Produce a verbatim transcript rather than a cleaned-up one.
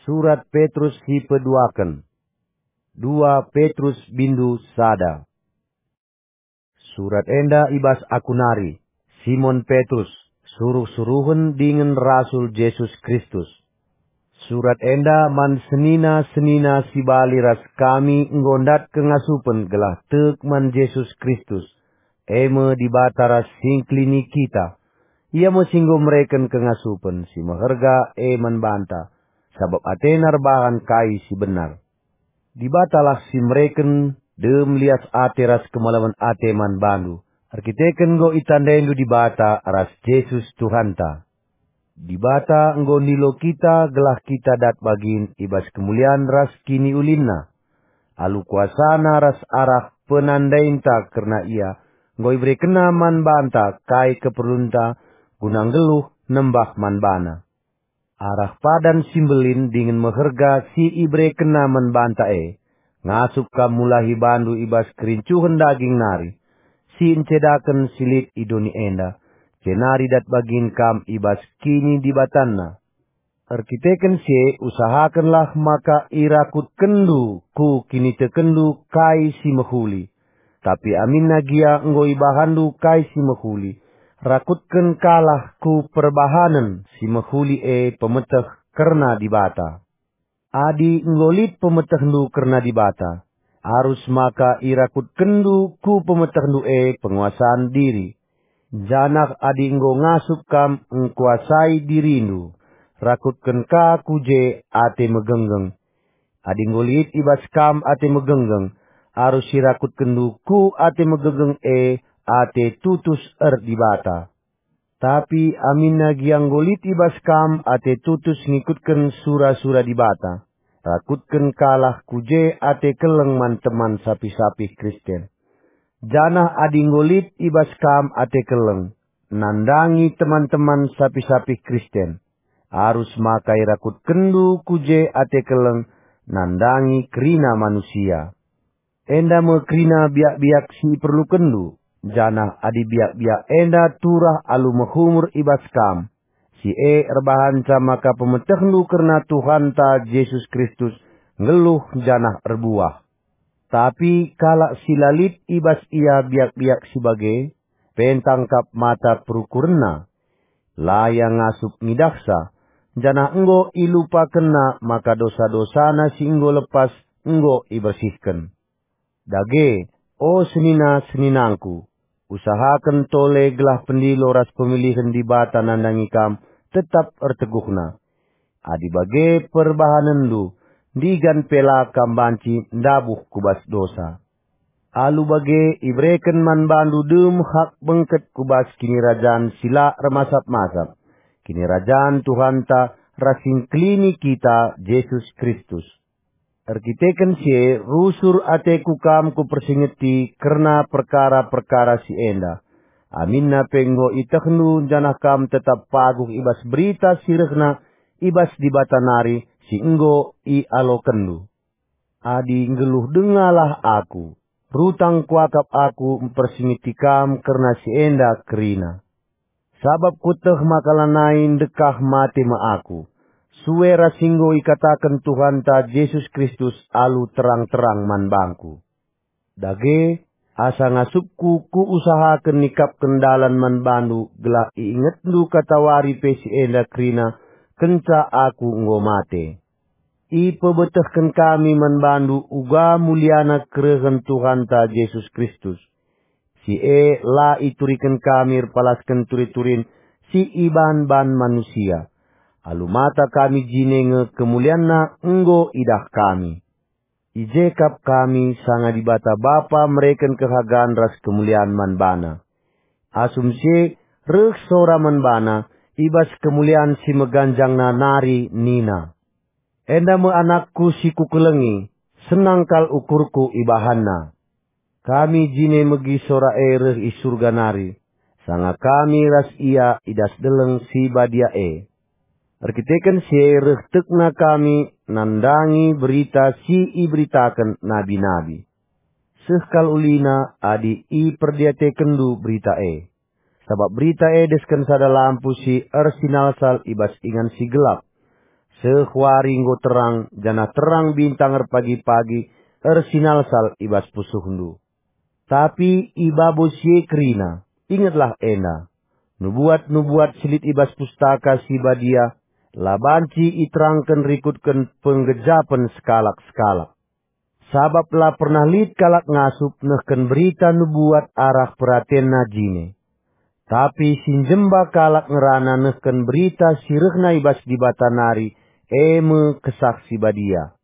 Surat Petrus si peduaken. Dua Petrus bindu sada. Surat enda i bas aku nari, Simon Petrus, suruh-suruhen dingen rasul Jesus Kristus. Surat enda man senina-senina si bali ras kami enggo ndat kengasupen gelah tek man Jesus Kristus, e me Dibata ras Singkelini kita. Ia me si enggo mereken kengasupen si meherga e man banta, sabap ateNa erbahan kai si benar. Dibatalah si mereken dem lias ate ras kemalemen ate man bandu, erkiteken enggo itandaindu Dibata ras Jesus Tuhanta. Dibata enggo nilo kita gelah kita dat bagin i bas kemulian ras kiniulinNa. Alu kuasaNa ras arah penandainta kerna Ia, enggo iberekenNa man banta kai keperlunta guna nggeluh nembah man baNa. Arah padan si mbelin dingen meherga si iberekenNa man banta e, ngasup kam mulahi bandu i bas kerincuhen daging nari, si encedaken si lit i doni enda, jenari dat bagin kam i bas kinidibatanNa. Erkiteken si e usahakenlah maka irakutkenndu ku kinitekenndu kai si mehuli. Tapi aminna gia enggo ibahanndu kai si mehuli, rakutkenkalah ku perbahanen si mehuli e pemeteh kerna Dibata. Adi enggo lit pemetehndu kerna Dibata, arus maka irakutkenndu ku pemetehndu e penguasan diri. Janah adi enggo ngasup kam engkuasai dirindu, rakutken ka ku je ate megenggeng. Adi enggo lit i bas kam ate megenggeng, arus irakutkenndu ku ate megenggeng e ate tutus erdibata. Tapi aminna gia enggo lit i bas kam ate tutus ngikutken sura-sura Dibata, rakutken kalah ku je ate keleng man teman sapih-sapih Kristen. Janah adi enggo lit i bas kam ate keleng, nandangi teman-teman sapih-sapih Kristen, arus maka irakutkenndu ku je ate keleng nandangi kerina manusia. Enda me kerina biak-biak si iperlukenndu, janah adi biak-biak enda turah alu mehumur i bas kam, si e erbahanca maka pemetehndu kerna Tuhanta Jesus Kristus nggeluh janah erbuah. Tapi kalak si la lit i bas ia biak-biak si bage, pentang kap mata perukurenna. La ia ngasup ngidahsa, janah enggo ilupakenna maka dosa-dosana si enggo lepas enggo ibersihken. Dage, o senina-seninangku, usahaken tole gelah pendilo ras pemilihen Dibata nandangi kam tetap erteguhna. Adi bage perbahanenndu, ndigan pe la kam banci ndabuh ku bas dosa. Alu bage ibereken man bandu dem hak bengket ku bas kinirajan si la ermasap-masap, kinirajan Tuhanta ras Singkelini kita, Jesus Kristus. Erkiteken si e, rusur ateku kam kupersingeti kerna perkara-perkara si enda. Aminna pe enggo ietehndu janah kam tetap paguh i bas berita si rehna i bas Dibata nari si enggo ialokenndu. Adi nggeluh dengalah aku, rutang kuakap aku mpersingeti kam kerna si enda kerina. Sabap kueteh maka lanai ndekah mate me aku, sue ras si enggo ikataken Tuhanta Jesus Kristus alu terang-terang man bangku. Dage, asa ngasupku kuusahaken nikapken dalan man bandu gelah iingetndu katawari pe si enda kerina kenca aku enggo mate. Ipebetehken kami man bandu uga muliana kerehen Tuhanta Jesus Kristus. Si e la ituriken kami erpalasken turi-turin si iban-ban manusia. Alu mata kami jine nge kemulianNa enggo idah kami. I je kap kami sanga Dibata Bapa mereken kehagan ras kemulian man baNa. Asum si e reh sora man baNa i bas kemulian si meganjangna nari nina, "Enda me AnakKu si Kukelengi, senang kal ukurKu ibahanNa." Kami jine megi sora e reh i Surga nari, sanga kami ras Ia i das deleng si badia e. Erkiteken si e reh tekna kami nandangi berita si iberitaken nabi-nabi. Seh kal ulina adi iperdiatekenndu berita e. Sabap berita e desken sada lampu si ersinalsal i bas ingan si gelap. Seh wari enggo terang, janah terang bintang erpagi-pagi ersinalsal i bas pusuhndu. Tapi i babo si e kerina, ingetlah enda, nubuat-nubuat si lit i bas Pustaka Si Badia la banci iterangken rikutken penggejapen sekalak-sekalak. Sabap la pernah lit kalak ngasup nehken berita nubuat arah peratenna jine. Tapi si njemba kalak ngerana nehken berita si rehna i bas Dibata nari, e me Kesah Si Badia.